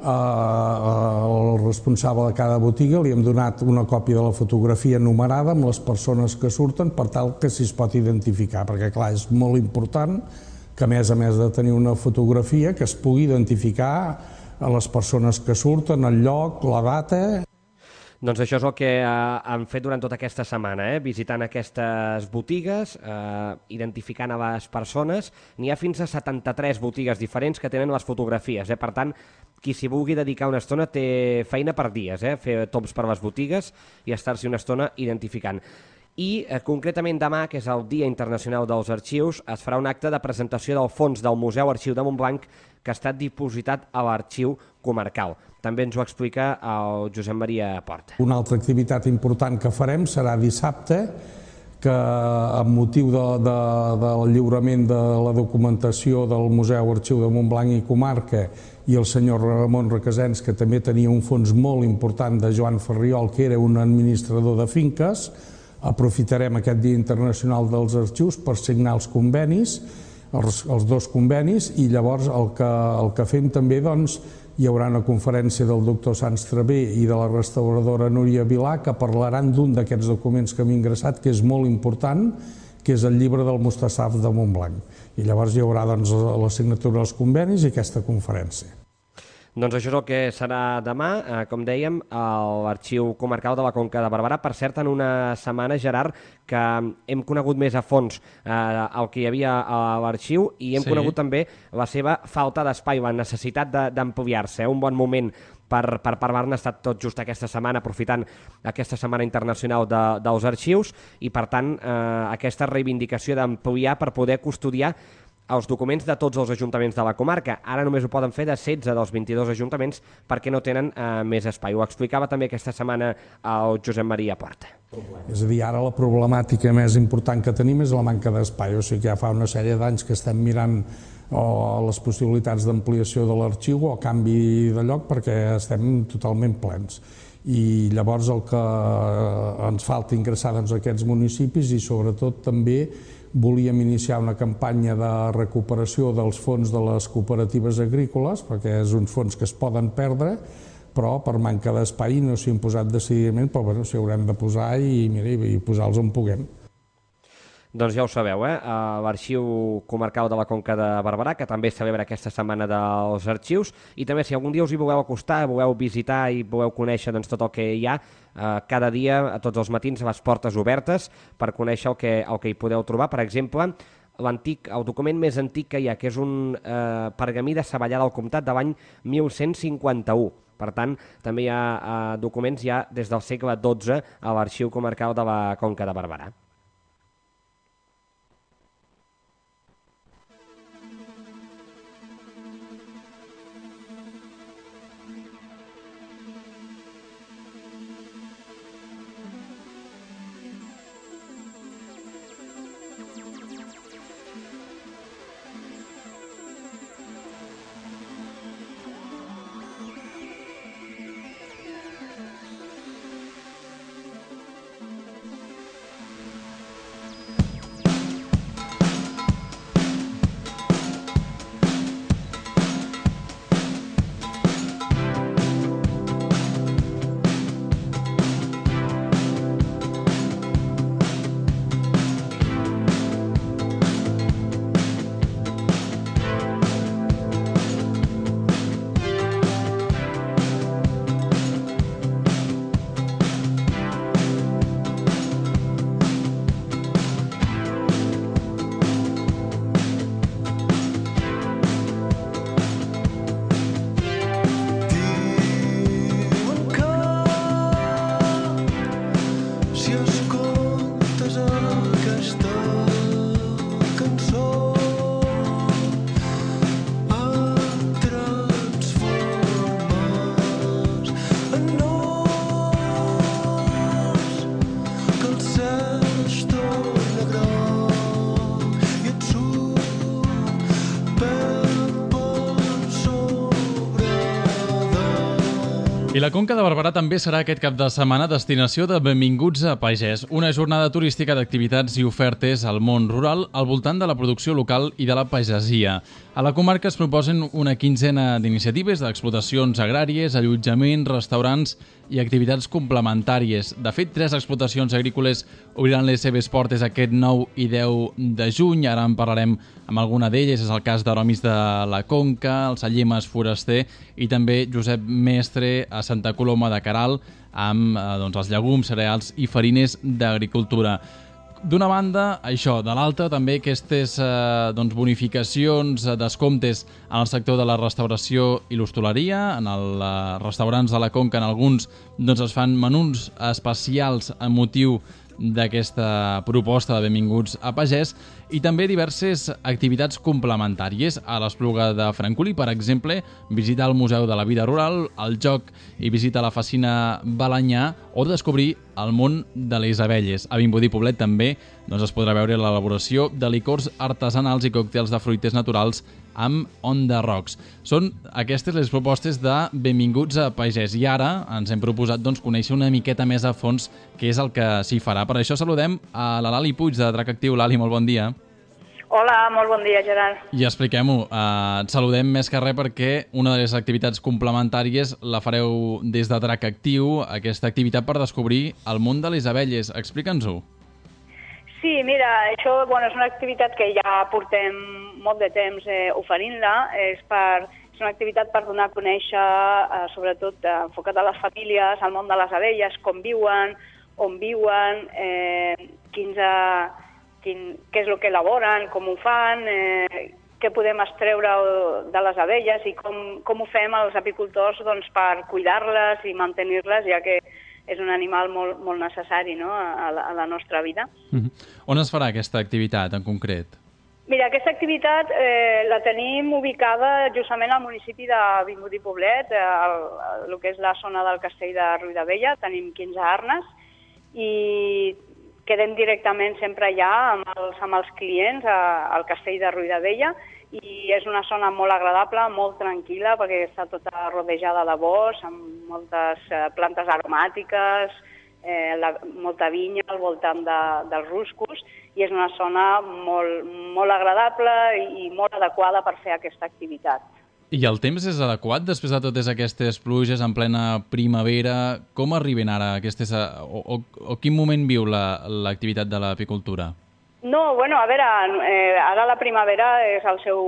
S8: al responsable de cada botiga li hem donat una còpia de la fotografia numerada amb les persones que surten per tal que s'hi pot identificar, perquè clar, és molt important que a més a més de tenir una fotografia que es pugui identificar a les persones que surten, el lloc, la data.
S3: Doncs això és el que eh, han fet durant tota aquesta setmana, eh? Visitant aquestes botigues, eh, identificant a les persones. N'hi ha fins a setanta-tres botigues diferents que tenen les fotografies. Eh? Per tant, qui s'hi vulgui dedicar una estona té feina per dies, eh? Fer tops per les botigues i estar-s'hi una estona identificant. I eh, concretament demà, que és el Dia Internacional dels Arxius, es farà un acte de presentació del fons del Museu Arxiu de Montblanc que ha estat dipositat a l'Arxiu Comarcal. També ens ho explica el Josep Maria Porta.
S8: Una altra activitat important que farem serà dissabte, que amb motiu de, de, del lliurament de la documentació del Museu Arxiu de Montblanc i Comarca i el senyor Ramon Requesens, que també tenia un fons molt important de Joan Ferriol, que era un administrador de finques, aprofitarem aquest Dia Internacional dels Arxius per signar els convenis, els, els dos convenis, i llavors el que, el que fem també, doncs, hi haurà una conferència del doctor Sanç Travé i de la restauradora Núria Vilà que parlaran d'un d'aquests documents que hem ingressat, que és molt important, que és el llibre del Mustassaf de Montblanc. I llavors hi haurà doncs, la signatura dels convenis i aquesta conferència.
S3: Doncs això és el que serà demà, eh, com dèiem, a l'Arxiu Comarcal de la Conca de Barberà. Per cert, en una setmana, Gerard, que hem conegut més a fons eh, el que hi havia a l'arxiu i hem sí. conegut també la seva falta d'espai, la necessitat d'ampliar-se. Un bon moment per, per parlar-ne ha estat tot just aquesta setmana, aprofitant aquesta Setmana Internacional de, dels Arxius, i per tant eh, aquesta reivindicació d'ampliar per poder custodiar els documents de tots els ajuntaments de la comarca. Ara només ho poden fer de setze dels vint-i-dos ajuntaments perquè no tenen eh, més espai. Ho explicava també aquesta setmana el Josep Maria Porta.
S8: És a dir, ara la problemàtica més important que tenim és la manca d'espai. O sigui que ja fa una sèrie d'anys que estem mirant o les possibilitats d'ampliació de l'arxiu o canvi de lloc perquè estem totalment plens. I llavors el que ens falta ingressar doncs, aquests municipis i sobretot també volíem iniciar una campanya de recuperació dels fons de les cooperatives agrícoles, perquè és uns fons que es poden perdre, però per manca d'espai no s'hi han posat decididament, però bueno, s'hi haurem de posar i, mira, i posar-los on puguem.
S3: Doncs ja ho sabeu, eh? l'Arxiu Comarcal de la Conca de Barberà, que també celebra aquesta Setmana dels Arxius, i també si algun dia us hi voleu acostar, voleu visitar i voleu conèixer doncs, tot el que hi ha, eh, cada dia, a tots els matins, a les portes obertes, per conèixer el que, el que hi podeu trobar. Per exemple, l'antic, el document més antic que hi ha, que és un eh, pergamí de Savallà del Comtat de l'any mil cent cinquanta-u. Per tant, també hi ha eh, documents ja des del segle dotze a l'Arxiu Comarcal de la Conca de Barberà.
S2: la Conca de Barberà també serà aquest cap de setmana destinació de Benvinguts a Pagès, una jornada turística d'activitats i ofertes al món rural al voltant de la producció local i de la pagesia. A la comarca es proposen una quinzena d'iniciatives d'explotacions agràries, allotjaments, restaurants i activitats complementàries. De fet, tres explotacions agrícoles obriran les seves portes aquest nou i deu de juny. Ara en parlarem amb alguna d'elles. És el cas d'Aromis de la Conca, el Sallemes Foraster i també Josep Mestre a Santa Coloma de Queralt amb eh, doncs, els llegums, cereals i farines d'agricultura. D'una banda, això, de l'altra també aquestes eh, doncs, bonificacions, eh, descomptes en el sector de la restauració i l'hostaleria. En els eh, restaurants de la Conca, en alguns, doncs, es fan menús especials amb motiu d'aquesta proposta de Benvinguts a Pagès i també diverses activitats complementàries. A l'Espluga de Francolí, per exemple, visitar el Museu de la Vida Rural, el joc i visita la Facina Balanyà o descobrir el món de les abelles. A Vimbodí Poblet també doncs, es podrà veure l'elaboració de licors artesanals i còctels de fruites naturals amb On the Rocks. Són aquestes les propostes de Benvinguts a Pagès i ara ens hem proposat doncs, conèixer una miqueta més a fons què és el que s'hi farà. Per això saludem a la Lali Puig de Drac Actiu. Lali, molt bon dia.
S9: Hola, molt bon dia, Gerard.
S2: I expliquem-ho. Uh, et saludem més que res perquè una de les activitats complementàries la fareu des de Drac Actiu, aquesta activitat per descobrir el món de les abelles. Explica'ns-ho.
S9: Sí, mira, això bueno, és una activitat que ja portem molt de temps eh, oferint-la. És, per, és una activitat per donar a conèixer, eh, sobretot eh, enfocat a les famílies, al món de les abelles, com viuen, on viuen, eh, quins, eh, quin, què és el que elaboren, com ho fan, eh, què podem extreure de les abelles i com, com ho fem els apicultors doncs, per cuidar-les i mantenir-les, ja que és un animal molt, molt necessari, no?, a, la, a la nostra vida.
S2: Mm-hmm. On es farà aquesta activitat en concret?
S9: Mira, aquesta activitat eh, la tenim ubicada justament al municipi de Vimbodí Poblet, eh, el, el que és la zona del castell de Riudabella. Tenim quinze arnes i quedem directament sempre allà amb els, amb els clients a, al castell de Riudabella. I és una zona molt agradable, molt tranquil·la, perquè està tota rodejada de bosc, amb moltes eh, plantes aromàtiques, eh, la, molta vinya al voltant de, dels ruscos, i és una zona molt, molt agradable i, i molt adequada per fer aquesta activitat.
S2: I el temps és adequat després de totes aquestes pluges en plena primavera? Com arriben ara aquestes... o, o, o quin moment viu l'activitat la, de l'apicultura?
S9: No, bueno, a veure, eh, ara la primavera és el seu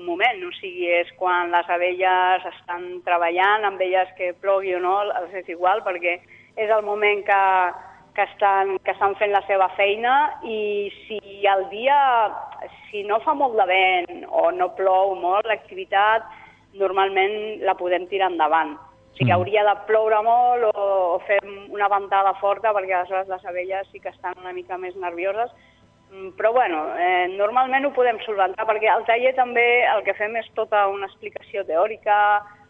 S9: moment, o sigui, és quan les abelles estan treballant, amb elles que plogui o no, els és igual, perquè és el moment que, que, estan, que estan fent la seva feina i si el dia, si no fa molt de vent o no plou molt, l'activitat normalment la podem tirar endavant. O sigui, hauria de ploure molt o, o fer una ventada forta perquè aleshores les abelles sí que estan una mica més nervioses. Però bueno, eh, normalment ho podem solventar perquè al taller també el que fem és tota una explicació teòrica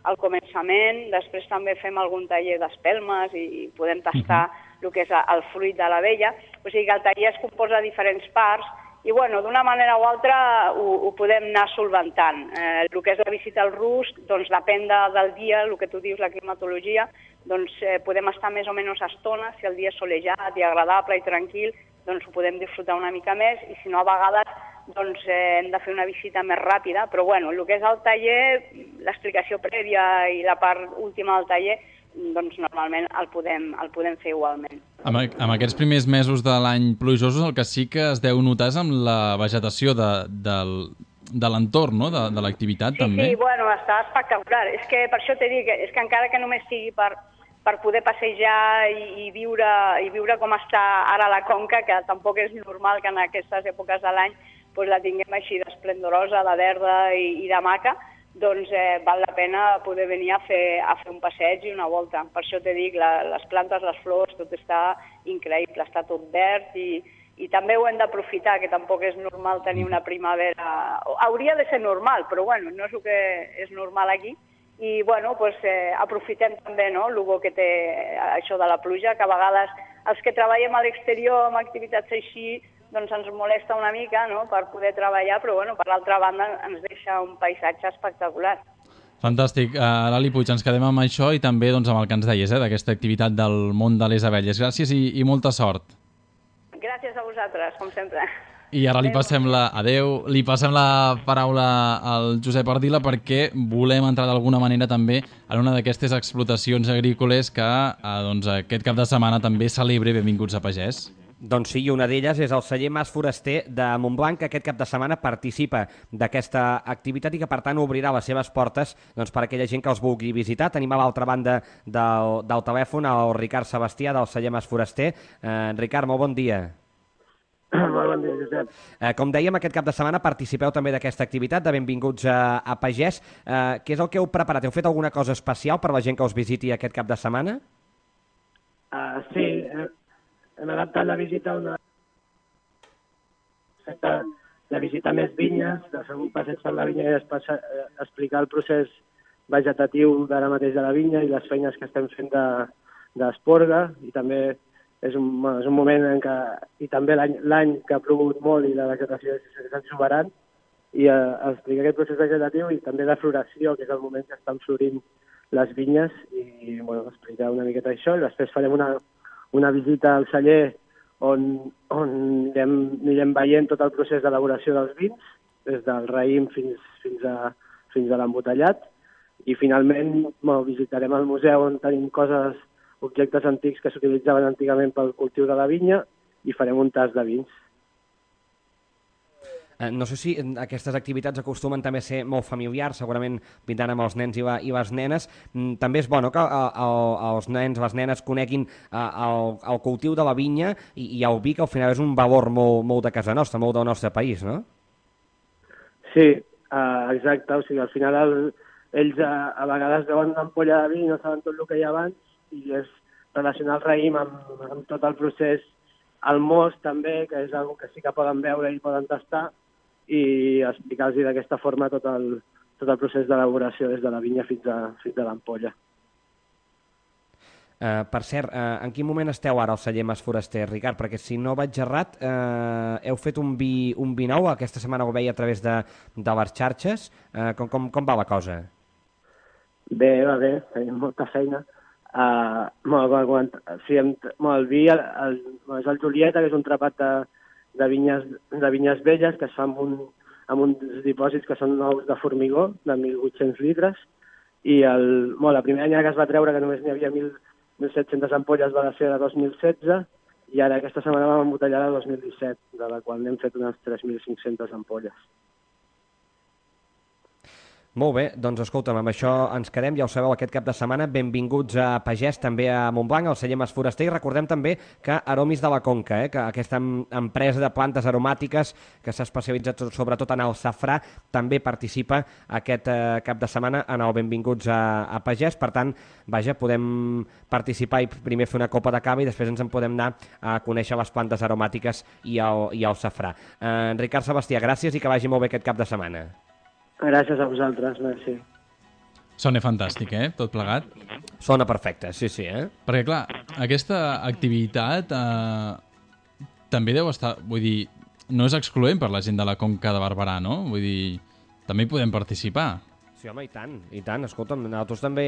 S9: al començament, després també fem algun taller d'espelmes i, i podem tastar el que és el fruit de l'abella. O sigui que el taller es composa de diferents parts i bueno, d'una manera o altra ho, ho podem anar solventant. Eh, el que és la visita al rusc, doncs depèn de, del dia, el que tu dius, la climatologia, doncs eh, podem estar més o menys estona, si el dia és solejat i agradable i tranquil, doncs ho podem disfrutar una mica més i si no a vegades doncs, eh, hem de fer una visita més ràpida, però bueno, el que és el taller, l'explicació prèvia i la part última del taller, doncs normalment el podem, el podem fer igualment.
S2: Amb, amb aquests primers mesos de l'any plujosos el que sí que es deu notar és amb la vegetació de, del, de l'entorn, no? de, de l'activitat
S9: sí,
S2: també.
S9: Sí, bueno, està espectacular. És que per això t'he dit que, és que encara que només sigui per per poder passejar i, i, viure, i viure com està ara la Conca, que tampoc és normal que en aquestes èpoques de l'any pues, la tinguem així d'esplendorosa, de verda i, i de maca, doncs eh, val la pena poder venir a fer, a fer un passeig i una volta. Per això t'he dit, la, les plantes, les flors, tot està increïble, està tot verd i, i també ho hem d'aprofitar, que tampoc és normal tenir una primavera... Hauria de ser normal, però bueno, no és el que és normal aquí. I bueno, pues, eh, aprofitem també no, el bo que té això de la pluja, que a vegades els que treballem a l'exterior amb activitats així doncs ens molesta una mica no, per poder treballar, però bueno, per l'altra banda ens deixa un paisatge espectacular.
S2: Fantàstic. Uh, Lali Puig, ens quedem amb això i també doncs, amb el que ens deies, eh, d'aquesta activitat del món de les abelles. Gràcies i, i molta sort.
S9: Gràcies a vosaltres, com sempre.
S2: I ara li passem la... Adeu. Li passem la paraula al Josep Ardila perquè volem entrar d'alguna manera també en una d'aquestes explotacions agrícoles que eh, doncs, aquest cap de setmana també celebra Benvinguts a Pagès.
S3: Doncs sí, i una d'elles és el celler Mas Foraster de Montblanc, que aquest cap de setmana participa d'aquesta activitat i que, per tant, obrirà les seves portes doncs, per a aquella gent que els vulgui visitar. Tenim a l'altra banda del, del telèfon el Ricard Sebastià, del celler Mas Foraster. Eh, Ricard, molt bon dia.
S10: Molt bon dia, Josep.
S3: Eh, com dèiem, aquest cap de setmana participeu també d'aquesta activitat de Benvinguts a, a Pagès. Eh, què és el que heu preparat? Heu fet alguna cosa especial per la gent que us visiti aquest cap de setmana?
S10: Uh, sí, eh, hem adaptat la visita a una... de visitar més vinyes, de fer un passeig per la vinya i espasa, eh, explicar el procés vegetatiu d'ara mateix de la vinya i les feines que estem fent d'esporga, i també és un, és un moment en què, i també l'any que ha plogut molt i la vegetació és exuberant, i eh, explicar aquest procés vegetatiu i també de floració, que és el moment que estan florint les vinyes, i bueno, explicar una miqueta això, i després farem una, una visita al celler on, on anirem, anirem veient tot el procés d'elaboració dels vins, des del raïm fins, fins a, fins a l'embotellat, i finalment bueno, visitarem el museu on tenim coses, objectes antics que s'utilitzaven antigament pel cultiu de la vinya, i farem un tas de vins.
S3: Eh, no sé si aquestes activitats acostumen també a ser molt familiars, segurament vindran amb els nens i, la, i les nenes. Mm, també és bo, no?, que el, el, els nens, les nenes coneguin eh, el, el cultiu de la vinya i, i el vi, que al final és un valor molt, molt de casa nostra, molt del nostre país, no?
S10: Sí, uh, exacte. O sigui, al final el, ells a, a vegades veuen una ampolla de vi i no saben tot el que hi ha abans, i és relacionar el raïm amb, amb tot el procés, el most també, que és una que sí que poden veure i poden tastar, i explicar-los d'aquesta forma tot el, tot el procés d'elaboració des de la vinya fins a, fins a l'ampolla.
S3: Uh, per cert, uh, en quin moment esteu ara al celler Mas Foraster, Ricard? Perquè si no vaig errat, uh, heu fet un vi, un vi nou, aquesta setmana ho veia a través de, de les xarxes. Uh, com, com, com va la cosa?
S10: Bé, va bé, tenim molta feina. Uh, molt, sí, hem, molt, el vi el, el, és el Julieta, que és un trapat de, de, vinyes, de vinyes velles que es fa amb, un, amb uns dipòsits que són nous de formigó, de mil vuit-cents litres, i el, molt, la primera any que es va treure, que només n'hi havia mil set-centes ampolles, va ser de dos mil setze, i ara aquesta setmana vam embotellar de dos mil disset, de la qual n'hem fet unes tres mil cinc-centes ampolles.
S3: Molt bé, doncs escolta'm, amb això ens quedem, ja ho sabeu, aquest cap de setmana. Benvinguts a Pagès, també a Montblanc, al celler Mas Foraster, i recordem també que Aromis de la Conca, eh, que aquesta empresa de plantes aromàtiques que s'ha especialitzat sobretot en el safrà, també participa aquest eh, cap de setmana en el Benvinguts a, a Pagès. Per tant, vaja, podem participar i primer fer una copa de cava i després ens en podem anar a conèixer les plantes aromàtiques i el, i el safrà. Eh, Ricard Sebastià, gràcies i que vagi molt bé aquest cap de setmana.
S10: Gràcies a vosaltres, merci.
S2: Sona fantàstic, eh? Tot plegat.
S3: Sona perfecte, sí, sí, eh?
S2: Perquè, clar, aquesta activitat eh, també deu estar... Vull dir, no és excloent per la gent de la Conca de Barberà, no? Vull dir, també hi podem participar.
S3: Sí, home, i tant, i tant. Escolta'm, nosaltres també,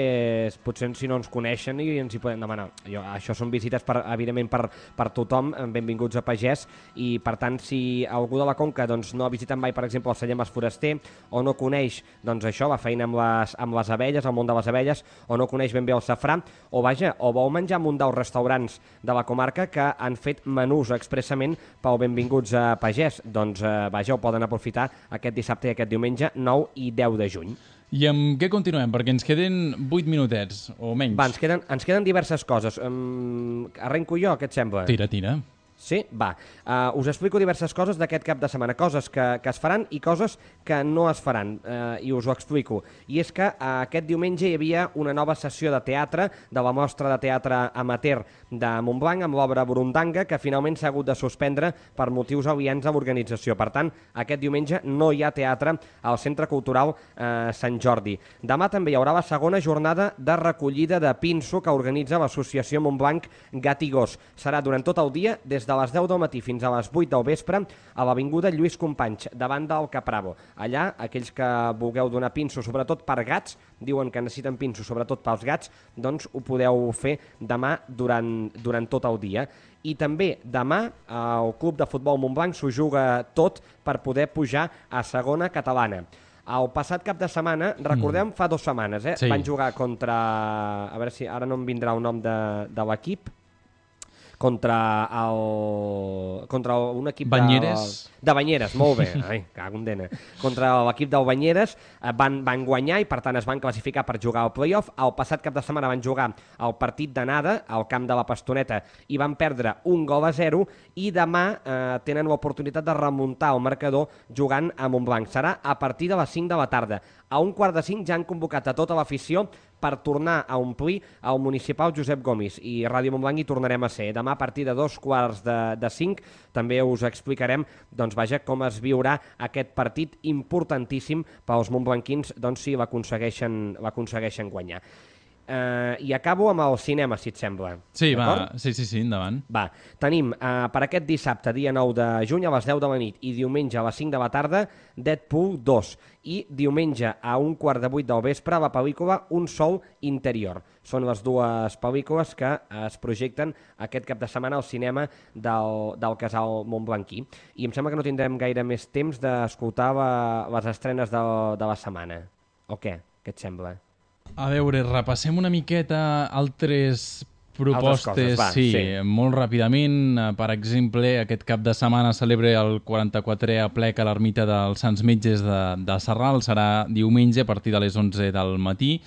S3: potser si no ens coneixen i ens hi podem demanar. Jo, això són visites, per, evidentment, per, per tothom, benvinguts a Pagès, i per tant, si algú de la Conca doncs, no ha visitat mai, per exemple, el celler Mas Foraster, o no coneix doncs, això, la feina amb les, amb les abelles, el món de les abelles, o no coneix ben bé el safrà, o vaja, o vol menjar en un dels restaurants de la comarca que han fet menús expressament pel benvinguts a Pagès, doncs eh, vaja, ho poden aprofitar aquest dissabte i aquest diumenge, nou i deu de juny.
S2: I amb què continuem? Perquè ens queden vuit minutets, o menys.
S3: Va, ens queden, ens queden diverses coses. Um, arrenco jo, què et sembla?
S2: Tira, tira.
S3: Sí? Va. Uh, us explico diverses coses d'aquest cap de setmana, coses que, que es faran i coses que no es faran, uh, i us ho explico. I és que uh, aquest diumenge hi havia una nova sessió de teatre de la mostra de teatre amateur de Montblanc amb l'obra Burundanga, que finalment s'ha hagut de suspendre per motius aliens a l'organització. Per tant, aquest diumenge no hi ha teatre al Centre Cultural uh, Sant Jordi. Demà també hi haurà la segona jornada de recollida de pinso que organitza l'associació Montblanc Gat i Gos. Serà durant tot el dia des de les deu del matí fins a les vuit del vespre a l'avinguda Lluís Companys, davant del Capravo. Allà, aquells que vulgueu donar pinso, sobretot per gats, diuen que necessiten pinso, sobretot pels gats, doncs ho podeu fer demà durant, durant tot el dia. I també demà el Club de Futbol Montblanc s'ho juga tot per poder pujar a segona catalana. El passat cap de setmana, recordem, fa dues setmanes, eh?
S2: Sí.
S3: Van jugar contra... A veure si ara no em vindrà el nom de, de l'equip. Contra el... Contra un equip
S2: Banyeres.
S3: de... De Banyeres, molt bé. Ai, cago en dena. Contra l'equip del Banyeres van, van guanyar i, per tant, es van classificar per jugar al play-off. El passat cap de setmana van jugar el partit d'anada al camp de la Pastoneta i van perdre un gol a zero i demà eh, tenen l'oportunitat de remuntar el marcador jugant a Montblanc. Serà a partir de les cinc de la tarda. A un quart de cinc ja han convocat a tota l'afició per tornar a omplir el municipal Josep Gomis i Ràdio Montblanc hi tornarem a ser. Demà a partir de dos quarts de, de cinc també us explicarem doncs, vaja, com es viurà aquest partit importantíssim pels montblanquins doncs, si l'aconsegueixen l'aconsegueixen guanyar. Uh, I acabo amb el cinema, si et sembla.
S2: Sí, va, sí, sí, sí, endavant.
S3: Va, tenim uh, per aquest dissabte, dia nou de juny, a les deu de la nit i diumenge a les cinc de la tarda, Deadpool dos. I diumenge a un quart de vuit del vespre, la pel·lícula Un sol interior. Són les dues pel·lícules que es projecten aquest cap de setmana al cinema del, del Casal Montblanquí. I em sembla que no tindrem gaire més temps d'escoltar la, les estrenes de, de la setmana. O què? Què et sembla?
S2: A veure, repassem una miqueta altres propostes,
S3: altres coses, va,
S2: sí,
S3: sí,
S2: molt ràpidament. Per exemple, aquest cap de setmana celebra el quaranta-quatrè aplec a l'ermita dels Sants Metges de, de Sarral. Serà diumenge a partir de les onze del matí.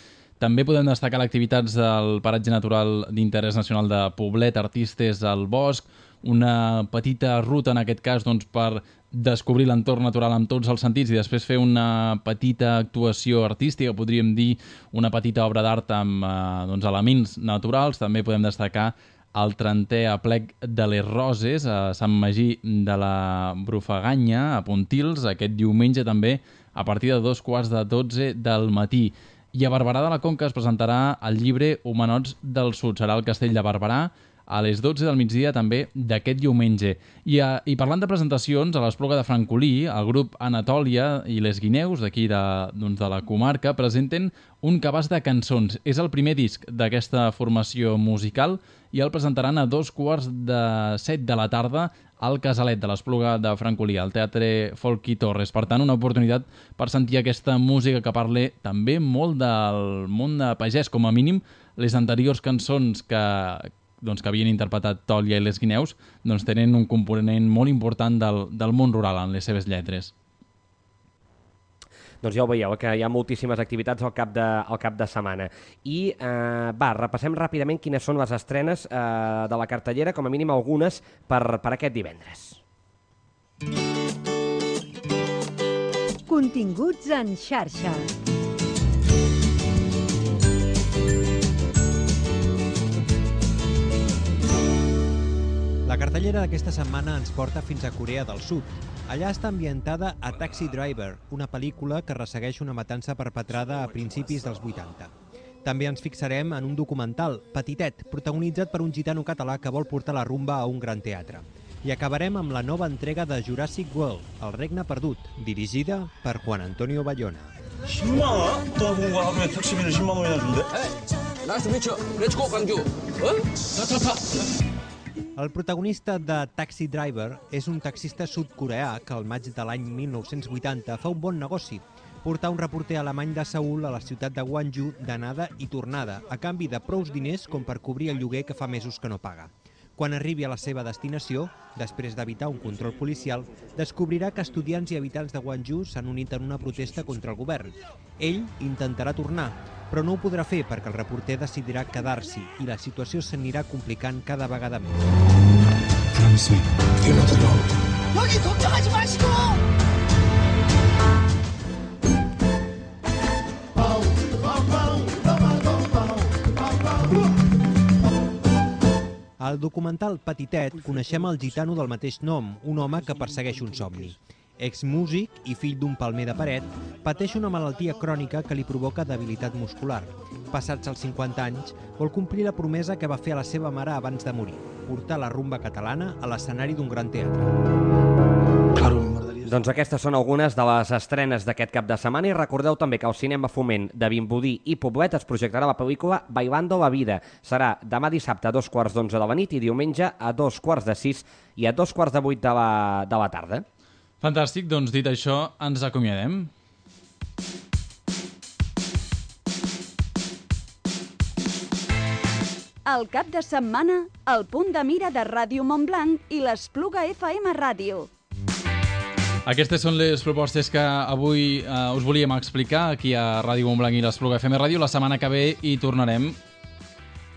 S2: També podem destacar l'activitats del Paratge Natural d'Interès Nacional de Poblet, Artistes al Bosc, una petita ruta, en aquest cas, doncs, per descobrir l'entorn natural amb tots els sentits i després fer una petita actuació artística, podríem dir una petita obra d'art amb eh, doncs, elements naturals. També podem destacar el trentè aplec de les Roses a Sant Magí de la Brufaganya, a Pontils, aquest diumenge també a partir de dos quarts de dotze del matí. I a Barberà de la Conca es presentarà el llibre Homenots del Sud. Serà al Castell de Barberà a les dotze del migdia també d'aquest diumenge. I, a, i parlant de presentacions, a l'Espluga de Francolí, el grup Anatòlia i les Guineus d'aquí de, doncs de la comarca presenten un cabàs de cançons. És el primer disc d'aquesta formació musical i el presentaran a dos quarts de set de la tarda al Casalet de l'Espluga de Francolí, al Teatre Folky Torres. Per tant, una oportunitat per sentir aquesta música que parla també molt del món de pagès. Com a mínim, les anteriors cançons que, doncs, que havien interpretat Tòlia i les Guineus doncs, tenen un component molt important del, del món rural en les seves lletres.
S3: Doncs ja ho veieu, que hi ha moltíssimes activitats al cap de, al cap de setmana. I eh, va, repassem ràpidament quines són les estrenes eh, de la cartellera, com a mínim algunes, per, per aquest divendres.
S11: Continguts en xarxa.
S12: La cartellera d'aquesta setmana ens porta fins a Corea del Sud. Allà està ambientada a Taxi Driver, una pel·lícula que ressegueix una matança perpetrada a principis dels vuitanta. També ens fixarem en un documental, Petitet, protagonitzat per un gitano català que vol portar la rumba a un gran teatre. I acabarem amb la nova entrega de Jurassic World, El regne perdut, dirigida per Juan Antonio Bayona.
S13: 십만 원? 떠나본과 하루에 택시비를 십만 원이나 준대?
S14: 나이스 미쳐, 렛츠고 광주. 어? 타타타.
S12: El protagonista de Taxi Driver és un taxista sud-coreà que al maig de l'any mil nou-cents vuitanta fa un bon negoci, portar un reporter alemany de Seül a la ciutat de Gwangju d'anada i tornada, a canvi de prous diners com per cobrir el lloguer que fa mesos que no paga. Quan arribi a la seva destinació, després d'evitar un control policial, descobrirà que estudiants i habitants de Gwangju s'han unit en una protesta contra el govern. Ell intentarà tornar, però no ho podrà fer perquè el reporter decidirà quedar-s'hi i la situació s'anirà complicant cada vegada més.
S13: Promise me, you're not alone.
S14: 여기 걱정하지 마시고.
S12: Al documental Petitet coneixem el gitano del mateix nom, un home que persegueix un somni. exmúsic i fill d'un palmer de paret, pateix una malaltia crònica que li provoca debilitat muscular. Passats els cinquanta anys, vol complir la promesa que va fer a la seva mare abans de morir, portar la rumba catalana a l'escenari d'un gran teatre.
S11: Claro, m'agradaria...
S3: Doncs aquestes són algunes de les estrenes d'aquest cap de setmana i recordeu també que al Cinema Foment de Vimbodí i Poblet es projectarà la pel·lícula Bailando la vida. Serà demà dissabte a dos quarts d'onze de la nit i diumenge a dos quarts de sis i a dos quarts de vuit de la, de la tarda.
S2: Fantàstic, doncs dit això, ens acomiadem.
S1: El cap de setmana, el punt de mira de Ràdio Montblanc i l'Espluga F M Ràdio.
S2: Aquestes són les propostes que avui eh, us volíem explicar aquí a Ràdio Montblanc i l'Espluga F M Ràdio. La setmana que ve hi tornarem.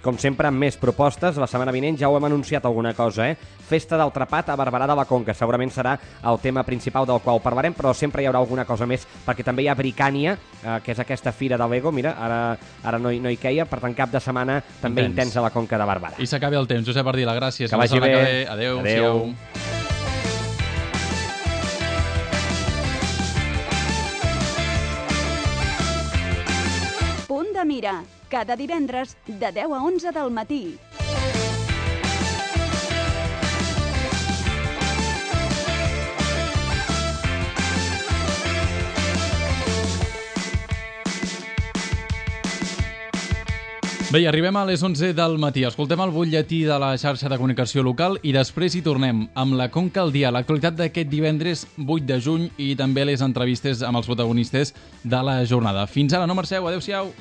S3: Com sempre, amb més propostes. La setmana vinent ja ho hem anunciat alguna cosa, eh? Festa del Trapat a Barberà de la Conca. Segurament serà el tema principal del qual parlarem, però sempre hi haurà alguna cosa més, perquè també hi ha Bricània, eh, que és aquesta fira de Lego. Mira, ara, ara no, hi, no hi queia, per tant, cap de setmana també intens, intens a la Conca de Barberà.
S2: I s'acabi el temps. Josep Ardila, gràcies.
S3: Que vagi bé.
S2: Que bé. Adéu.
S3: Adéu.
S1: Punt de mira, cada divendres de deu a onze del matí.
S2: Bé, arribem a les onze del matí. Escoltem el butlletí de la xarxa de comunicació local i després hi tornem amb la Conca al dia, l'actualitat d'aquest divendres vuit de juny i també les entrevistes amb els protagonistes de la jornada. Fins ara, no marxeu, adeu-siau.